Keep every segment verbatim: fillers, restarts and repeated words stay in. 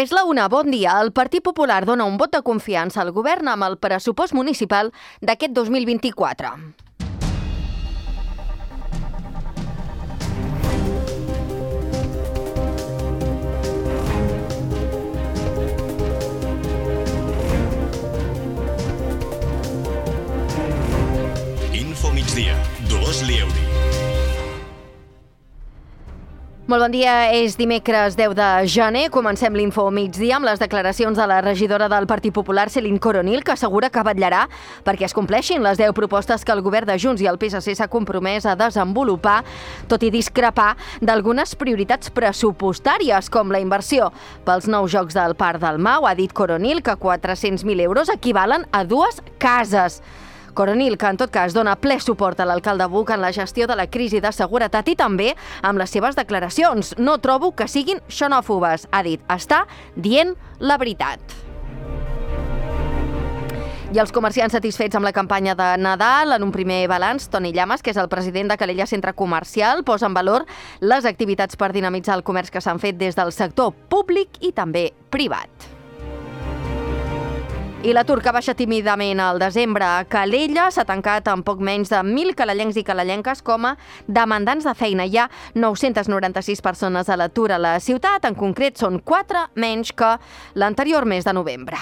És la una, bon dia. El Partit Popular dona un vot de confiança al govern amb el pressupost municipal d'aquest dos mil vint-i-quatre. Info migdia, Dolors Lieuri. Molt bon dia, és dimecres deu de gener. Comencem l'Info migdia amb les declaracions de la regidora del Partit Popular, Céline Coronil, que assegura que vetllarà perquè es compleixin les deu propostes que el govern de Junts i el P S C s'ha compromès a desenvolupar, tot i discrepar d'algunes prioritats pressupostàries, com la inversió pels nous jocs del Parc del Mau. Ha dit Coronil que quatre-cents mil euros equivalen a dues cases. Coronil, que en tot cas dona ple suport a l'alcalde Buch en la gestió de la crisi de seguretat i també amb les seves declaracions. No trobo que siguin xenòfobes, ha dit. Està dient la veritat. I els comerciants satisfets amb la campanya de Nadal. En un primer balanç, Toni Llamas, que és el president de Calella Centre Comercial, posa en valor les activitats per dinamitzar el comerç que s'han fet des del sector públic i també privat. I l'atur, que baixa tímidament al desembre a Calella, s'ha tancat amb poc menys de mil calellencs i calellenques com a demandants de feina. Hi ha nou-cents noranta-sis persones a l'atur a la ciutat, en concret són quatre menys que l'anterior mes de novembre.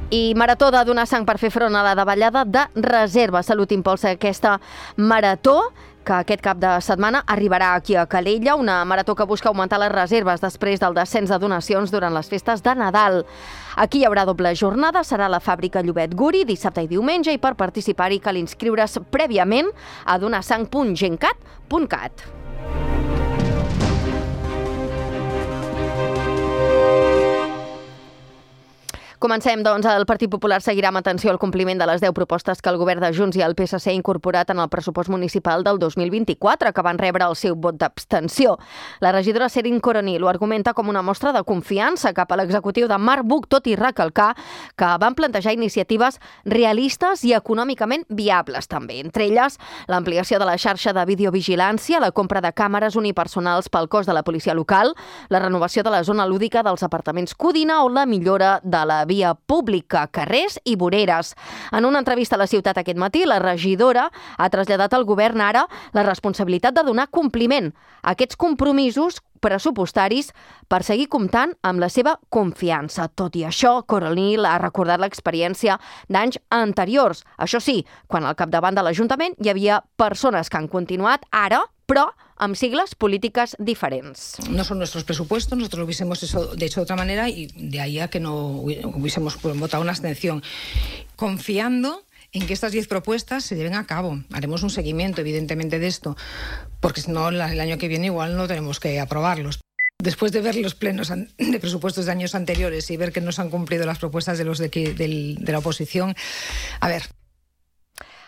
I marató de donar sang per fer front a la davallada de reserva. Salut impulsa aquesta marató, que aquest cap de setmana arribarà aquí a Calella, una marató que busca augmentar les reserves després del descens de donacions durant les festes de Nadal. Aquí hi haurà doble jornada, serà la fàbrica Llobet Guri, dissabte i diumenge, i per participar-hi cal inscriure's prèviament a donasang punt gencat punt cat. Comencem, doncs. El Partit Popular seguirà amb atenció el compliment de les deu propostes que el govern de Junts i el P S C ha incorporat en el pressupost municipal del dos mil vint-i-quatre, que van rebre el seu vot d'abstenció. La regidora Céline Coronil ho argumenta com una mostra de confiança cap a l'executiu de Marc Buch, tot i recalcar que van plantejar iniciatives realistes i econòmicament viables, també. Entre elles, l'ampliació de la xarxa de videovigilància, la compra de càmeres unipersonals pel cos de la policia local, la renovació de la zona lúdica dels apartaments Codina o la millora de la via pública, carrers i voreres. En una entrevista a la ciutat aquest matí, la regidora ha traslladat al govern ara la responsabilitat de donar compliment a aquests compromisos pressupostaris per seguir comptant amb la seva confiança. Tot i això, Coronil ha recordat l'experiència d'anys anteriors. Això sí, quan al capdavant de l'Ajuntament hi havia persones que han continuat ara, però amb sigles políticas diferentes. No son nuestros presupuestos, nosotros lo hubiésemos hecho, de hecho de otra manera, y de ahí a que no hubiésemos votado una abstención. Confiando en que estas diez propuestas se lleven a cabo. Haremos un seguimiento, evidentemente, de esto, porque si no, el año que viene igual no tenemos que aprobarlos. Después de ver los plenos de presupuestos de años anteriores y ver que no se han cumplido las propuestas de los de, de, de la oposición, a ver...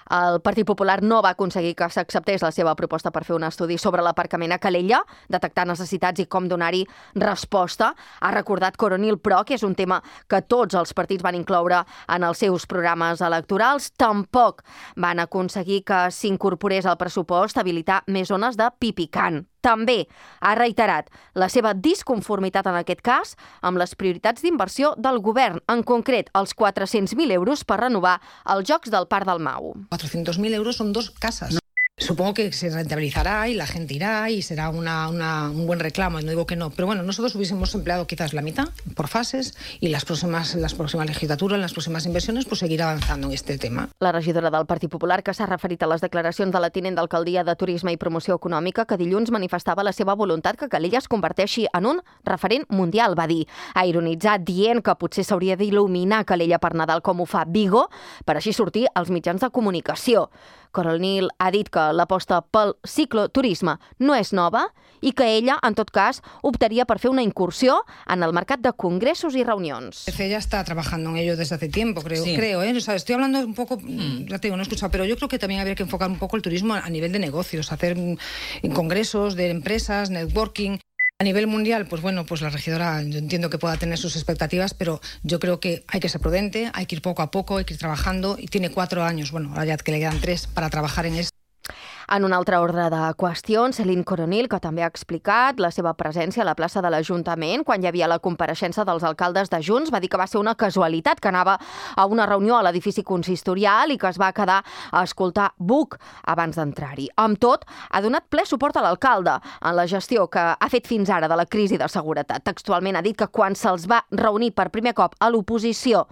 El Partit Popular no va aconseguir que s'acceptés la seva proposta per fer un estudi sobre l'aparcament a Calella, detectar necessitats i com donar-hi resposta. Ha recordat Coronil, però, que és un tema que tots els partits van incloure en els seus programes electorals. Tampoc van aconseguir que s'incorporés al pressupost habilitar més zones de pipicant. També ha reiterat la seva disconformitat en aquest cas amb les prioritats d'inversió del govern, en concret els quatre-cents mil euros per renovar els Jocs del Parc del Mau. cuatrocientos mil euros son dos casas. No. Supongo que se rentabilizará y la gente irá y será una, una, un buen reclamo, no digo que no, pero bueno, nosotros hubiésemos empleado quizás la mitad por fases y las próximas, las próximas legislaturas, las próximas inversiones, pues seguir avanzando en este tema. La regidora del Partit Popular, que s'ha referit a les declaracions de la tinent d'alcaldia de Turisme i Promoció Econòmica, que dilluns manifestava la seva voluntat que Calella es converteixi en un referent mundial, va dir. Ha ironitzat dient que potser s'hauria d'il·luminar Calella per Nadal com ho fa Vigo, per així sortir als mitjans de comunicació. Coronil ha dit que l'aposta pel cicloturisme no és nova i que ella, en tot cas, optaria per fer una incursió en el mercat de congressos i reunions. Ella está trabajando en ello desde hace tiempo, creo. Sí. creo ¿eh? O sea, estoy hablando un poco, mm. ya te digo, no he escuchado, pero yo creo que también habría que enfocar un poco el turismo a nivel de negocios, hacer congresos de empresas, networking. A nivel mundial, pues bueno, pues la regidora, yo entiendo que pueda tener sus expectativas, pero yo creo que hay que ser prudente, hay que ir poco a poco, hay que ir trabajando, y tiene cuatro años, bueno, ahora ya que le quedan tres para trabajar en esto. En un altre ordre de qüestions, Céline Coronil, que també ha explicat la seva presència a la plaça de l'Ajuntament quan hi havia la compareixença dels alcaldes de Junts, va dir que va ser una casualitat, que anava a una reunió a l'edifici consistorial i que es va quedar a escoltar Buc abans d'entrar-hi. Amb tot, ha donat ple suport a l'alcalde en la gestió que ha fet fins ara de la crisi de seguretat. Textualment ha dit que quan se'ls va reunir per primer cop a l'oposició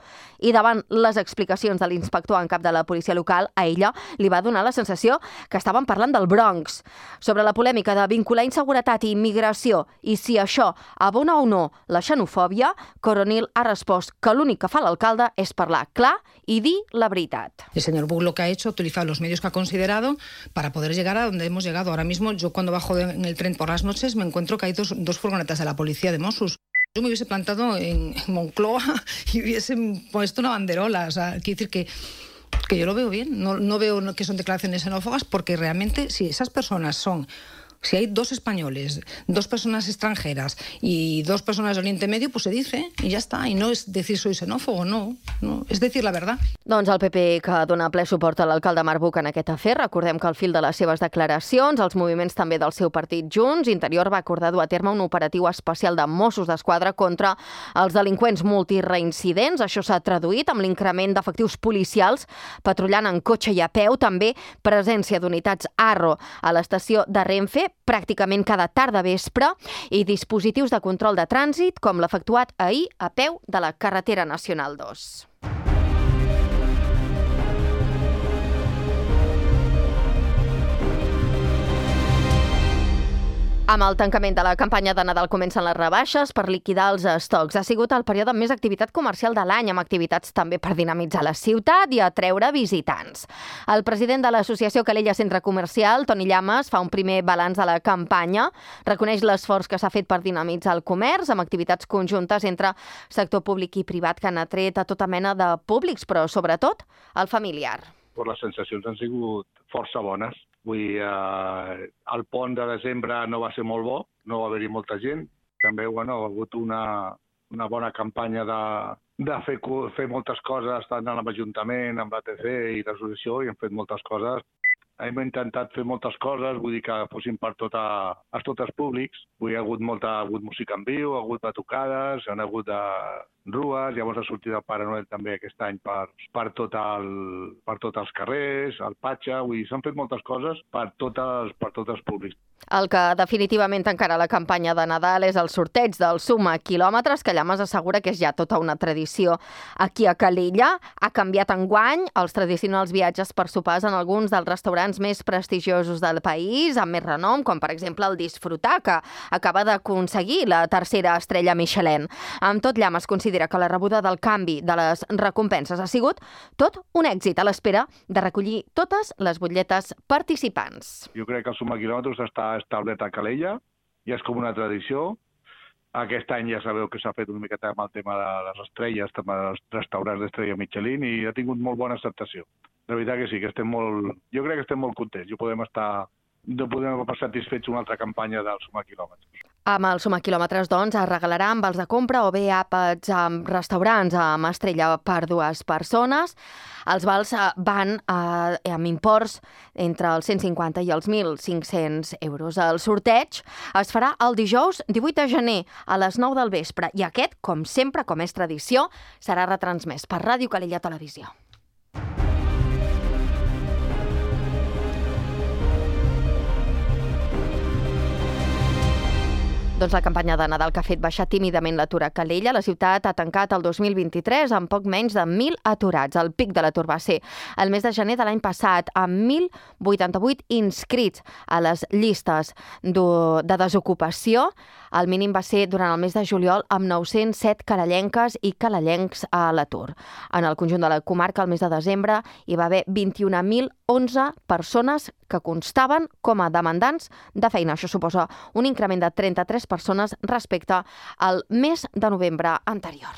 i davant les explicacions de l'inspector en cap de la policia local, a ella li va donar la sensació que estaven parlant del Bronx. Sobre la polèmica de vincular inseguretat i immigració i si això abona o no la xenofòbia, Coronil ha respost que l'únic que fa l'alcalde és parlar clar y di la verdad. El señor Buch lo que ha hecho, ha utilizado los medios que ha considerado para poder llegar a donde hemos llegado. Ahora mismo, yo cuando bajo de, en el tren por las noches me encuentro que hay dos, dos furgonetas de la policía de Mossos. Yo me hubiese plantado en Moncloa y hubiesen puesto una banderola. O sea, quiere decir que que yo lo veo bien, no, no veo que son declaraciones xenófobas, porque realmente si esas personas son, si hay dos españoles, dos personas extranjeras y dos personas de Oriente Medio, pues se dice y ya está, y no es decir soy xenófobo, no, no, es decir la verdad. Doncs el P P que dona ple suport a l'alcalde Marc Buch en aquest afer. Recordem que al fil de les seves declaracions, els moviments també del seu partit Junts, Interior va acordar dur a terme un operatiu especial de Mossos d'Esquadra contra els delinqüents multireincidents. Això s'ha traduït amb l'increment d'efectius policials, patrullant en cotxe i a peu, també presència d'unitats Arro a l'estació de Renfe, pràcticament cada tarda vespre, i dispositius de control de trànsit, com l'efectuat ahir a peu de la carretera nacional dos. Amb el tancament de la campanya de Nadal comencen les rebaixes per liquidar els estocs. Ha sigut el període amb més activitat comercial de l'any, amb activitats també per dinamitzar la ciutat i atreure visitants. El president de l'associació Calella Centre Comercial, Toni Llamas, fa un primer balanç de la campanya, reconeix l'esforç que s'ha fet per dinamitzar el comerç, amb activitats conjuntes entre sector públic i privat que han atret a tota mena de públics, però sobretot el familiar. Pues les sensacions han sigut força bones. Vull dir, eh, el pont de desembre no va ser molt bo, no va haver-hi molta gent. També bueno, ha hagut una, una bona campanya de, de fer, fer moltes coses, tant amb l'Ajuntament, amb l'A T C i l'associació, i hem fet moltes coses. Hem intentat fer moltes coses, vull dir que fossin per tota, a tots els públics. Vull dir, ha hagut molta ha hagut música en viu, ha hagut batucades, han hagut de rues, llavors ha sortit el Pare Noel també aquest any per, per, tot el, per tots els carrers, el Patxa, vull dir, s'han fet moltes coses per, totes, per tots els públics. El que definitivament tancarà la campanya de Nadal és el sorteig del Suma Quilòmetres, que Llamas assegura que és ja tota una tradició aquí a Calella. Ha canviat enguany els tradicionals viatges per sopars en alguns dels restaurants més prestigiosos del país, amb més renom, com per exemple el Disfrutar, que acaba d'aconseguir la tercera estrella Michelin. Amb tot, Llamas considera que la rebuda del canvi de les recompenses ha sigut tot un èxit a l'espera de recollir totes les butlletes participants. Jo crec que el Suma Quilòmetres està establert a Calella i és com una tradició. Aquest any ja sabeu que s'ha fet una miqueta amb el tema de les estrelles, també dels restaurants d'estrella Michelin, i ha tingut molt bona acceptació. La veritat que sí, que estem molt... Jo crec que estem molt contents. Jo podem estar... No podem estar satisfets una altra campanya del Suma Quilòmetres. Amb el Suma Quilòmetres, doncs, es regalarà amb els de compra o bé àpats amb restaurants amb estrella per dues persones. Els vals van eh, amb imports entre els cent cinquanta i els mil cinc-cents euros. El sorteig es farà el dijous divuit de gener a les nou del vespre i aquest, com sempre, com és tradició, serà retransmès per Ràdio Calella Televisió. Doncs la campanya de Nadal que ha fet baixar tímidament l'atur a Calella. La ciutat ha tancat el dos mil vint-i-tres amb poc menys de mil aturats. El pic de l'atur va ser el mes de gener de l'any passat, amb mil vuitanta-vuit inscrits a les llistes de desocupació. El mínim va ser durant el mes de juliol, amb nou-cents set calellenques i calellencs a l'atur. En el conjunt de la comarca, el mes de desembre, hi va haver vint-i-un mil onze persones que constaven com a demandants de feina. Això suposa un increment de trenta-tres persones respecte al mes de novembre anterior.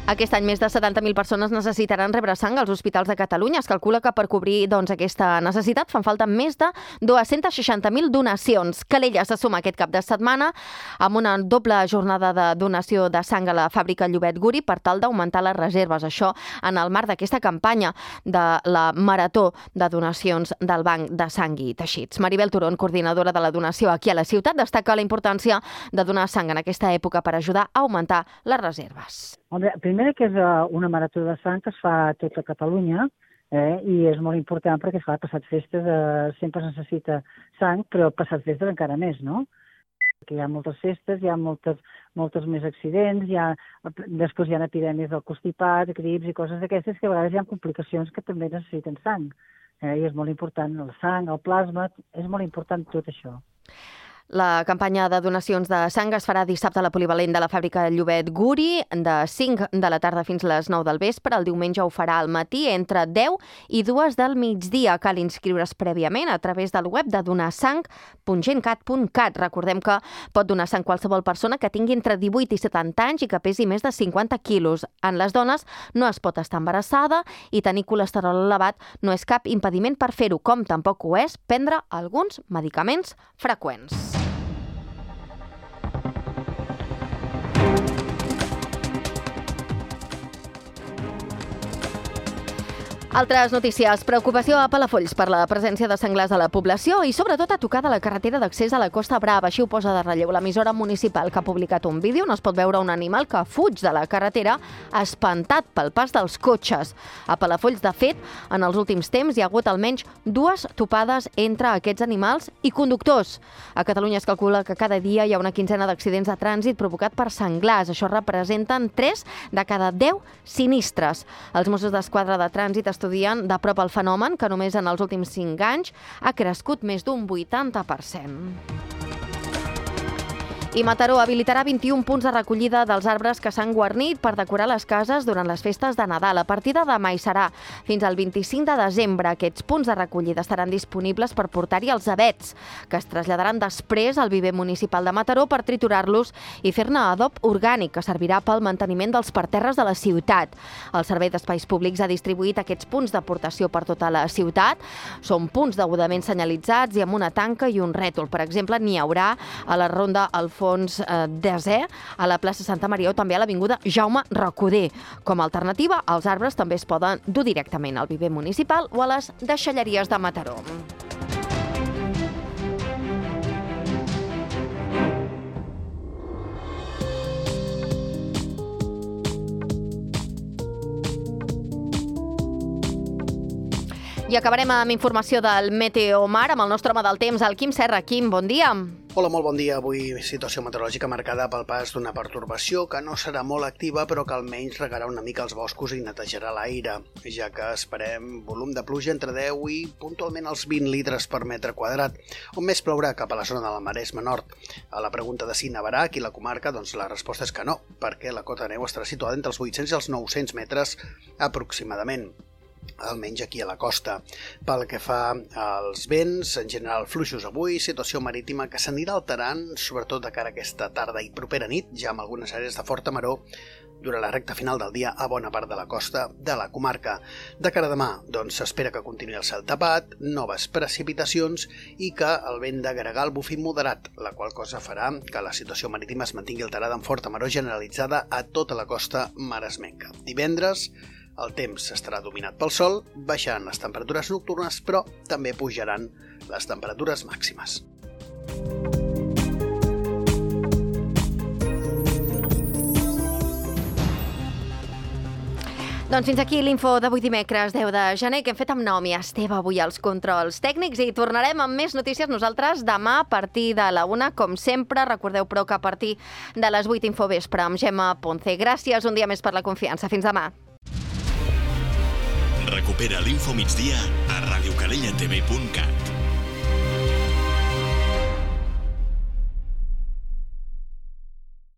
Aquest any més de setanta mil persones necessitaran rebre sang als hospitals de Catalunya. Es calcula que per cobrir doncs, aquesta necessitat fan falta més de dos-cents seixanta mil donacions. Calella se suma aquest cap de setmana amb una doble jornada de donació de sang a la fàbrica Llobet Guri per tal d'augmentar les reserves. Això en el marc d'aquesta campanya de la Marató de Donacions del Banc de Sang i Teixits. Maribel Turón, coordinadora de la donació aquí a la ciutat, destaca la importància de donar sang en aquesta època per ajudar a augmentar les reserves. Home, primer que és una marató de sang que es fa a tota Catalunya eh, i és molt important perquè, clar, passat festes eh, sempre es necessita sang, però passat festes encara més, no? Perquè hi ha moltes festes, hi ha moltes, moltes més accidents, hi ha, després hi ha epidèmies del constipat, grips i coses d'aquestes que a vegades hi ha complicacions que també necessiten sang. Eh, I és molt important el sang, el plasma, és molt important tot això. La campanya de donacions de sang es farà dissabte a la polivalent de la fàbrica Llobet Guri de cinc de la tarda fins a les nou del vespre. El diumenge ho farà al matí entre deu i dues del migdia. Cal inscriure's prèviament a través del web de donasang punt gencat punt cat. Recordem que pot donar sang qualsevol persona que tingui entre divuit i setanta anys i que pesi més de cinquanta quilos. En les dones no es pot estar embarassada i tenir colesterol elevat no és cap impediment per fer-ho, com tampoc ho és prendre alguns medicaments freqüents. Altres notícies. Preocupació a Palafolls per la presència de senglars a la població i sobretot a tocar de la carretera d'accés a la Costa Brava. Així ho posa de relleu l'emissora municipal, que ha publicat un vídeo on es pot veure un animal que fuig de la carretera espantat pel pas dels cotxes. A Palafolls, de fet, en els últims temps hi ha hagut almenys dues topades entre aquests animals i conductors. A Catalunya es calcula que cada dia hi ha una quinzena d'accidents de trànsit provocat per senglars. Això representen tres de cada deu sinistres. Els Mossos d'Esquadra de Trànsit estudien de prop el fenomen, que només en els últims cinc anys ha crescut més d'un vuitanta per cent. I Mataró habilitarà vint-i-un punts de recollida dels arbres que s'han guarnit per decorar les cases durant les festes de Nadal. A partir de demà hi serà fins al vint-i-cinc de desembre. Aquests punts de recollida estaran disponibles per portar-hi els avets, que es traslladaran després al viver municipal de Mataró per triturar-los i fer-ne adob orgànic, que servirà pel manteniment dels parterres de la ciutat. El Servei d'Espais Públics ha distribuït aquests punts d'aportació per tota la ciutat. Són punts degudament senyalitzats i amb una tanca i un rètol. Per exemple, n'hi haurà a la ronda Alfons Fons Desè, a la plaça Santa Maria o també a l'avinguda Jaume Recoder. Com a alternativa, els arbres també es poden dur directament al viver municipal o a les deixalleries de Mataró. I acabarem amb informació del Meteomar amb el nostre home del temps, el Quim Serra. Quim, bon dia. Hola, molt bon dia. Avui situació meteorològica marcada pel pas d'una pertorbació que no serà molt activa, però que almenys regarà una mica els boscos i netejarà l'aire, ja que esperem volum de pluja entre deu i puntualment els vint litres per metre quadrat. On més plourà? Cap a la zona de la Maresme Nord. A la pregunta de si nevarà aquí a la comarca, doncs la resposta és que no, perquè la cota de neu estarà situada entre els vuit-cents i els nou-cents metres aproximadament, almenys aquí a la costa. Pel que fa als vents, en general fluixos avui, situació marítima que s'anirà alterant, sobretot de cara a aquesta tarda i propera nit, ja amb algunes àrees de forta maror, durant la recta final del dia a bona part de la costa de la comarca. De cara a demà, doncs s'espera que continuï el cel tapat, noves precipitacions i que el vent de gregal bufi moderat, la qual cosa farà que la situació marítima es mantingui alterada amb forta maror generalitzada a tota la costa maresmenca. Divendres, el temps estarà dominat pel sol, baixaran les temperatures nocturnes, però també pujaran les temperatures màximes. Doncs fins aquí l'info d'avui dimecres deu de gener, que hem fet amb Naomi Esteve avui als controls tècnics, i tornarem amb més notícies nosaltres demà a partir de la una, com sempre. Recordeu, però, que a partir de les vuit Infovespre amb Gemma Ponce. Gràcies un dia més per la confiança. Fins demà. Recupera l'Info Migdia a radiocalellatv punt cat.